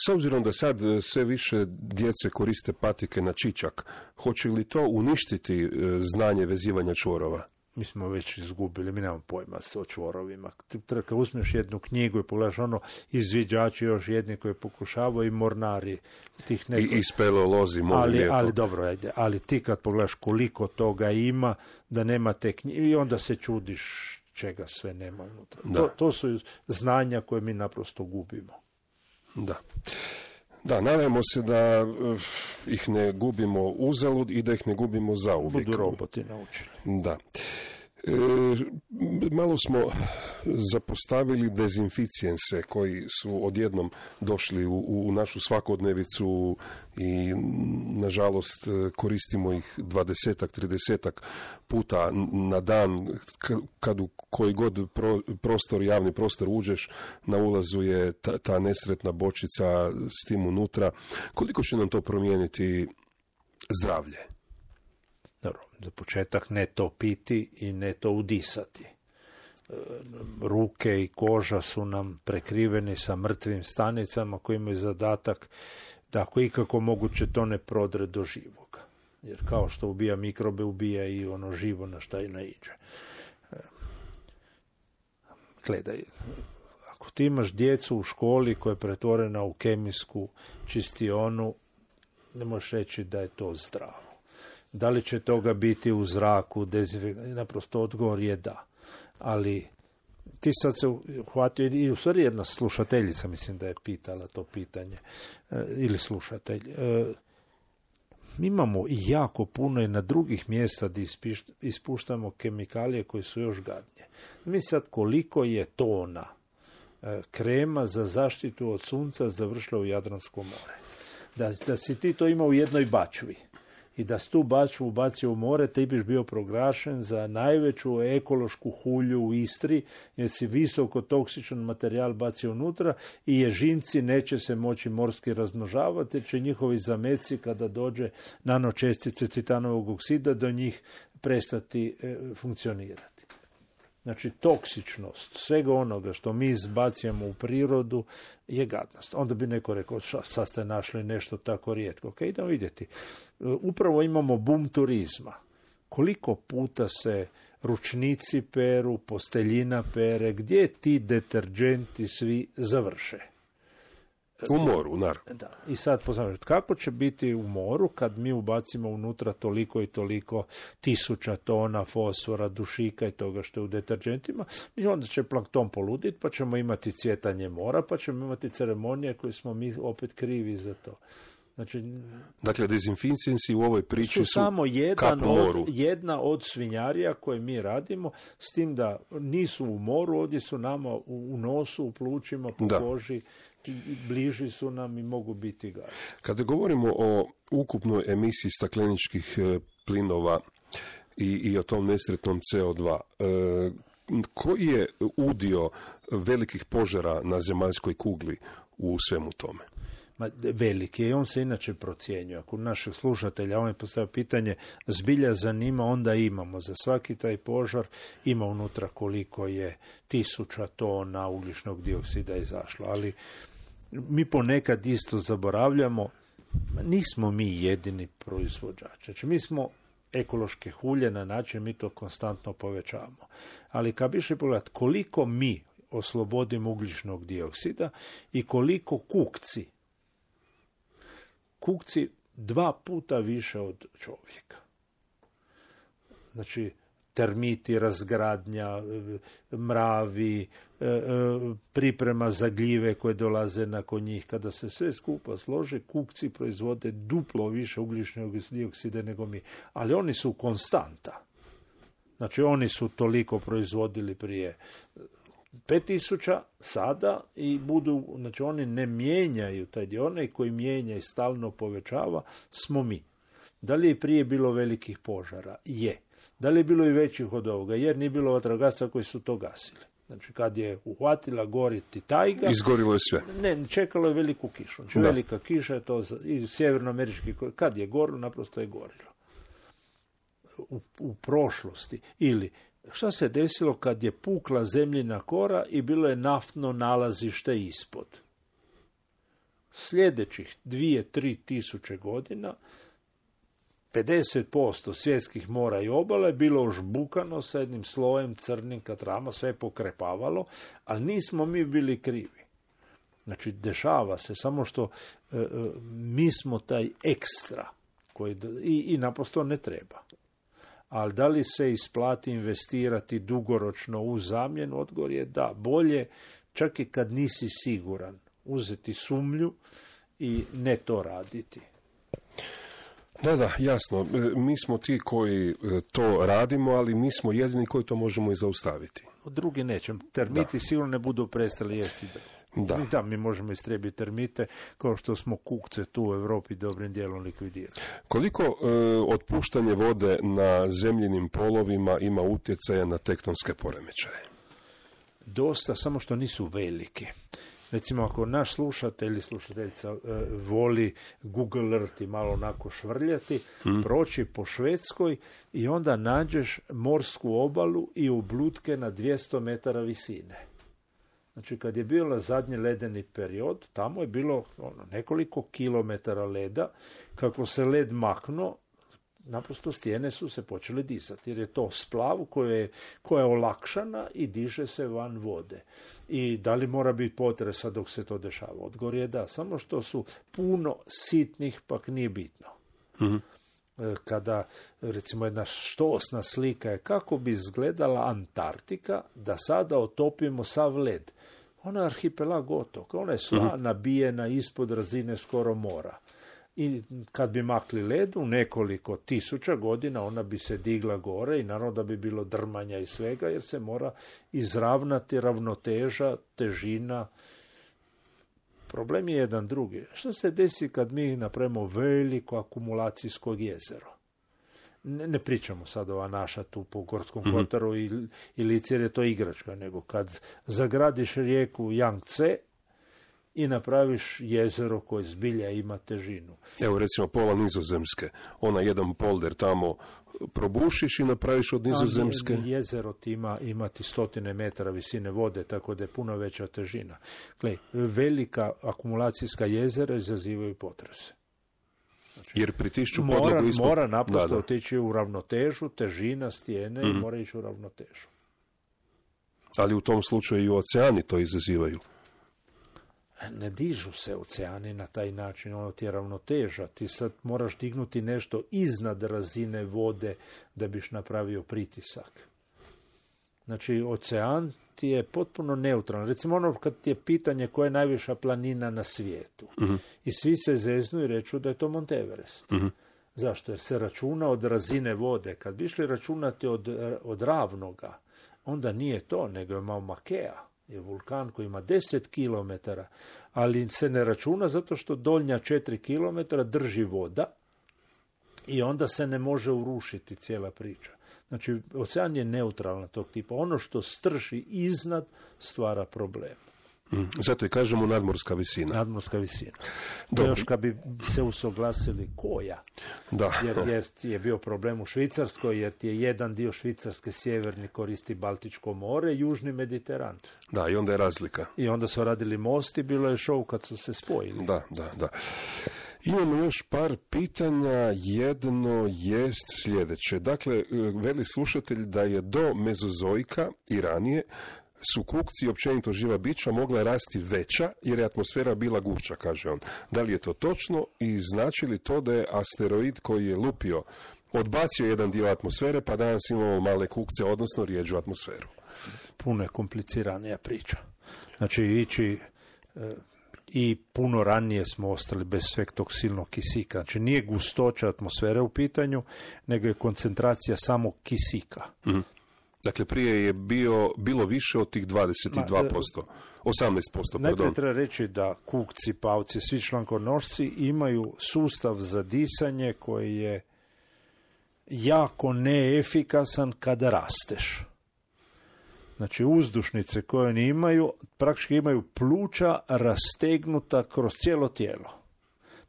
S obzirom da sad sve više djece koriste patike na čičak, hoće li to uništiti znanje vezivanja čvorova? Mi smo već izgubili, mi nemamo pojma o čvorovima. Kad uzmeš jednu knjigu i pogledaš izviđači još jedni koji pokušavaju i mornari tih nekog... I speleolozi, ali dobro, ajde. Ali ti kad pogledaš koliko toga ima, da nema te knjige, i onda se čudiš čega sve nema unutra. To su znanja koje mi naprosto gubimo. Da. Da, nadajmo se da ih ne gubimo uzalud i da ih ne gubimo zauvijek. Budu roboti naučili. Da. Malo smo zapostavili dezinficijense koji su odjednom došli u našu svakodnevicu i nažalost koristimo ih 20-ak, 30-ak puta na dan kad u koji god prostor, javni prostor uđeš, na ulazu je ta nesretna bočica s tim unutra. Koliko će nam to promijeniti zdravlje? Dobro, za početak ne to piti i ne to udisati. Ruke i koža su nam prekriveni sa mrtvim stanicama koji imaju zadatak da ako ikako moguće to ne prodre do živoga. Jer kao što ubija mikrobe, ubija i ono živo na šta i naiđe. Gledaj, ako ti imaš djecu u školi koja je pretvorena u kemijsku čistionu, ne možeš reći da je to zdravo. Da li će toga biti u zraku, naprosto odgovor je da. Ali ti sad se uhvatio, i u stvari jedna slušateljica, mislim da je pitala to pitanje, ili slušatelj. Mi imamo i jako puno i na drugih mjesta da ispuštamo kemikalije koje su još gadnije. Mi sad koliko je tona krema za zaštitu od sunca završila u Jadransko more. Da si ti to imao u jednoj bačvi i da si tu bačvu ubacio u more, ti biš bio proglašen za najveću ekološku hulju u Istri, jer si visoko toksičan materijal bacio unutra i ježinci neće se moći morski razmnožavati, jer će njihovi zameci kada dođe nanočestice titanovog oksida do njih prestati funkcionirati. Znači, toksičnost svega onoga što mi izbacujemo u prirodu je gadnost. Onda bi neko rekao, sad ste našli nešto tako rijetko. Ok, idemo vidjeti. Upravo imamo boom turizma. Koliko puta se ručnici peru, posteljina pere, gdje ti deterđenti svi završe? U moru, naravno. Da. I sad poznam, kako će biti u moru kad mi ubacimo unutra toliko i toliko 1000 tona fosfora, dušika i toga što je u deterđentima, i onda će plankton poluditi, pa ćemo imati cvjetanje mora, pa ćemo imati ceremonije koje smo mi opet krivi za to. Znači, dakle, dezinficijensi u ovoj priči su samo jedna od svinjarija koje mi radimo, s tim da nisu u moru, ovdje su nama u nosu, u plućima, po koži, bliži su nam i mogu biti gari. Kada govorimo o ukupnoj emisiji stakleničkih plinova i o tom nesretnom CO2, koji je udio velikih požara na zemaljskoj kugli u svemu tome? Veliki je i on se inače procjenjuje. Ako naših slušatelja on je postavio pitanje zbilja zanima, onda imamo. Za svaki taj požar ima unutra koliko je 1000 tona ugljičnog dioksida izašlo. Ali mi ponekad isto zaboravljamo, nismo mi jedini proizvođači. Znači, mi smo ekološke hulje na način, mi to konstantno povećavamo. Ali kad bi išli pogledati koliko mi oslobodimo ugljičnog dioksida i koliko kukci 2 puta više od čovjeka. Znači, termiti, razgradnja, mravi, priprema za gljive koje dolaze nakon njih. Kada se sve skupa slože, kukci proizvode duplo više ugljičnog dioksida nego mi. Ali oni su konstanta. Znači, oni su toliko proizvodili prije 5000 sada i budu, znači oni ne mijenjaju taj dio, onaj koji mijenja i stalno povećava smo mi. Da li je prije bilo velikih požara? Je. Da li je bilo i većih od ovoga? Jer nije bilo vatrogasaca koji su to gasili. Znači kad je uhvatila goriti tajga, izgorilo je sve. Ne, čekalo je veliku kišu. Znači velika kiša je to i sjevernoamerički, kad je gorilo, naprosto je gorilo. U prošlosti. Ili šta se desilo kad je pukla zemljina kora i bilo je naftno nalazište ispod? Sljedećih 2-3 tisuće godina 50% svjetskih mora i obala je bilo ožbukano sa jednim slojem crnim katrama, sve je pokrepavalo, ali nismo mi bili krivi. Znači, dešava se, samo što mi smo taj ekstra koji i naprosto ne treba. Ali da li se isplati investirati dugoročno u zamjenu? Odgovor je da, bolje, čak i kad nisi siguran, uzeti sumnju i ne to raditi. Da, jasno. Mi smo ti koji to radimo, ali mi smo jedini koji to možemo i zaustaviti. Drugi neće. Termiti sigurno ne budu prestali jesti drvo. Da, mi možemo istrijebiti termite kao što smo kukce tu u Europi dobrim dijelom likvidirali. Koliko otpuštanje vode na zemljinim polovima ima utjecaja na tektonske poremećaje? Dosta, samo što nisu veliki. Recimo, ako naš slušatelj ili slušateljica voli Google Earth i malo onako švrljati, proći po Švedskoj i onda nađeš morsku obalu i oblutke na 200 metara visine. Znači, kad je bio zadnji ledeni period, tamo je bilo nekoliko kilometara leda. Kako se led maknuo, naprosto stijene su se počele disati, jer je to splav koja je olakšana i diže se van vode. I da li mora biti potresa dok se to dešava? Odgovor je da, samo što su puno sitnih, pak nije bitno. Mm-hmm. Kada, recimo, jedna štosna slika je kako bi izgledala Antarktika da sada otopimo sav led. Ona je arhipelag otoka, ona je sva nabijena ispod razine skoro mora. I kad bi makli led u nekoliko tisuća godina, ona bi se digla gore i naravno da bi bilo drmanja i svega, jer se mora izravnati ravnoteža, težina. Problem je jedan drugi. Što se desi kad mi napravimo veliko akumulacijsko jezero? Ne pričamo sad ova naša tu po Gorskom Kotaru i Lici, jer je to igračka, nego kad zagradiš rijeku Yangtze i napraviš jezero koje zbilja ima težinu. Evo recimo pola Nizozemske, ona jedan polder tamo probušiš i napraviš od Nizozemske. Jezero ti imati 100 metara visine vode, tako da je puno veća težina. Gle, velika akumulacijska jezera izazivaju potrese. Znači, jer pritišću podlogu ispod... Mora naprosto otići u ravnotežu, težina stijene i mora ići u ravnotežu. Ali u tom slučaju i oceani to izazivaju. Ne dižu se oceani na taj način, ono ti je ravnoteža. Ti sad moraš dignuti nešto iznad razine vode da biš napravio pritisak. Znači, ocean ti je potpuno neutralan. Recimo ono kad ti je pitanje koja je najviša planina na svijetu. I svi se zeznu i reču da je to Mont Everest. Zašto? Jer se računa od razine vode. Kad bi išli računati od ravnoga, onda nije to, nego je Mauna Kea. Je vulkan koji ima 10 km, ali se ne računa zato što donja 4 km drži voda i onda se ne može urušiti cijela priča. Znači, ocean je neutralan tog tipa. Ono što strši iznad stvara problem. Zato i kažemo nadmorska visina. Nadmorska visina. To još kad bi se usuglasili koja. Da. Jer je bio problem u Švicarskoj, jer ti je jedan dio Švicarske sjeverni koristi Baltičko more, južni Mediteran. Da, i onda je razlika. I onda su radili most i bilo je šou kad su se spojili. Da. Imamo još par pitanja, jedno jest sljedeće. Dakle, veli slušatelj da je do Mezozoika i ranije su kukci i općenito živa bića mogla rasti veća jer je atmosfera bila gušća, kaže on. Da li je to točno i znači li to da je asteroid koji je lupio odbacio jedan dio atmosfere pa danas imamo male kukce, odnosno rijeđu atmosferu? Puno je kompliciranija priča. Znači ići i puno ranije smo ostali bez sveg tog silnog kisika. Znači nije gustoća atmosfere u pitanju, nego je koncentracija samog kisika. Dakle, prije je bilo više od tih 22%. 18%, pardon. Najprije treba reći da kukci, pavci, svi člankonošci imaju sustav za disanje koji je jako neefikasan kada rasteš. Znači, uzdušnice koje oni imaju, praktički imaju pluća rastegnuta kroz cijelo tijelo.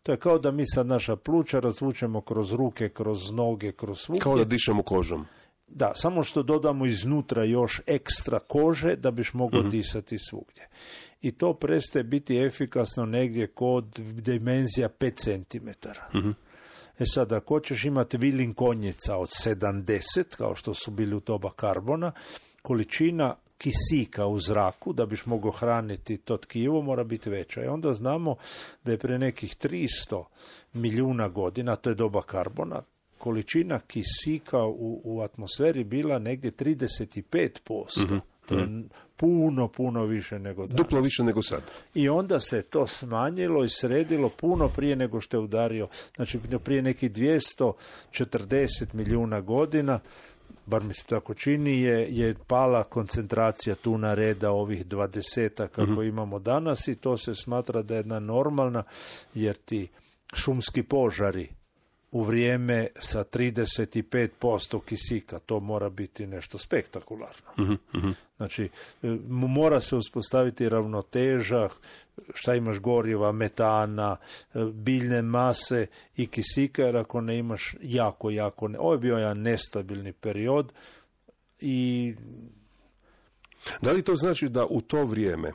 To je kao da mi sad naša pluća razvučemo kroz ruke, kroz noge, kroz svugdje. Kao da dišemo kožom. Da, samo što dodamo iznutra još ekstra kože da biš mogao disati svugdje. I to prestaje biti efikasno negdje kod dimenzija 5 cm. Sad, ako hoćeš imati vilin konjica od 70, kao što su bili u doba karbona, količina kisika u zraku, da biš mogao hraniti to tkivo, mora biti veća. I onda znamo da je pre nekih 300 milijuna godina, to je doba karbona, količina kisika u atmosferi bila negdje 35%. To je puno više nego danas. Duplo više nego sad. I onda se to smanjilo i sredilo puno prije nego što je udario. Znači, prije nekih 240 milijuna godina, bar mi se tako čini, je pala koncentracija tuna reda ovih 20 kako imamo danas i to se smatra da je jedna normalna, jer ti šumski požari u vrijeme sa 35% kisika, to mora biti nešto spektakularno. Znači, mora se uspostaviti ravnoteža, šta imaš goriva, metana, biljne mase i kisika, jer ako ne imaš ovo je bio jedan nestabilni period i... Da li to znači da u to vrijeme,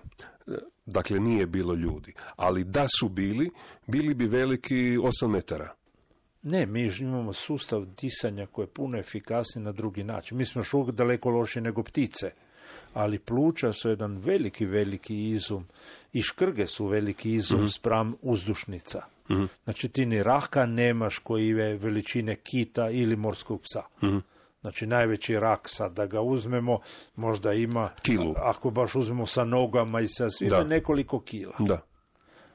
dakle nije bilo ljudi, ali da su bili bi veliki 8 metara? Ne, mi imamo sustav disanja koji je puno efikasniji na drugi način. Mi smo još uvijek daleko lošiji nego ptice, ali pluća su jedan veliki izum i škrge su veliki izum spram uzdušnica. Znači ti ni raka nemaš koji je veličine kita ili morskog psa. Znači najveći rak sad da ga uzmemo možda ima kilu. Ako baš uzmemo sa nogama i sa svime nekoliko kila. Da.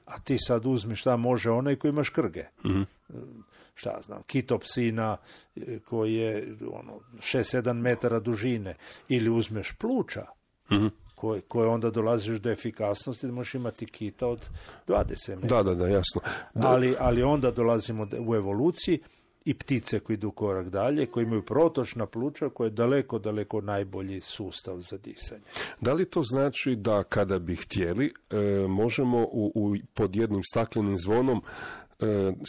A ti sad uzmi šta može onaj koji ima škrge. Šta znam, kitopsina koji je 6-7 metara dužine. Ili uzmeš pluća koje onda dolaziš do efikasnosti da možeš imati kita od 20 metara. Da, jasno. Ali onda dolazimo u evoluciji i ptice koji idu korak dalje, koji imaju protočna pluća, koje je daleko najbolji sustav za disanje. Da li to znači da kada bi htjeli, možemo pod jednim staklenim zvonom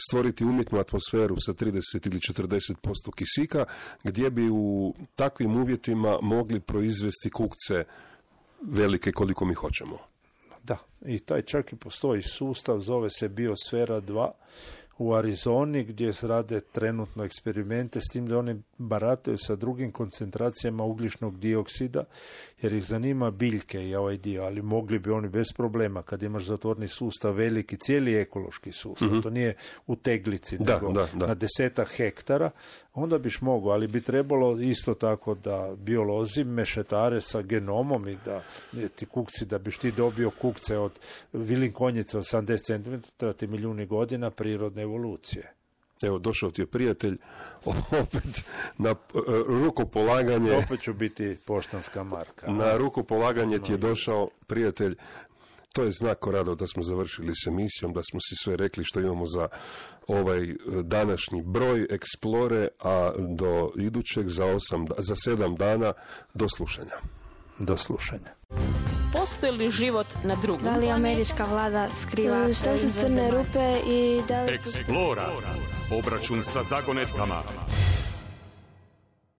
stvoriti umjetnu atmosferu sa 30 ili 40% kisika, gdje bi u takvim uvjetima mogli proizvesti kukce velike koliko mi hoćemo? Da, i taj čak i postoji sustav, zove se Biosfera 2, u Arizoni gdje se rade trenutno eksperimente s tim da oni barataju sa drugim koncentracijama ugljičnog dioksida jer ih zanima biljke i ovaj dio, ali mogli bi oni bez problema kad imaš zatvorni sustav veliki, cijeli ekološki sustav, to nije u teglici, nego na 10 hektara, onda biš mogao, ali bi trebalo isto tako da biolozi mešetare sa genomom i da ti kukci, da biš ti dobio kukce od vilinkonjice od 80 cm, ti milijuni godina prirodne evolucije. Evo, došao ti je prijatelj, opet na rukopolaganje. Opet ću biti poštanska marka. Na rukopolaganje ti je došao prijatelj. To je znak, Rado, da smo završili s emisijom, da smo si sve rekli što imamo za ovaj današnji broj Explore, a do idućeg za 7 dana do slušanja. Do slušanja. Postoji li život na drugom? Da li američka vlada skriva Što su crne rupe i da li... Explora. Obračun sa zagonetkama.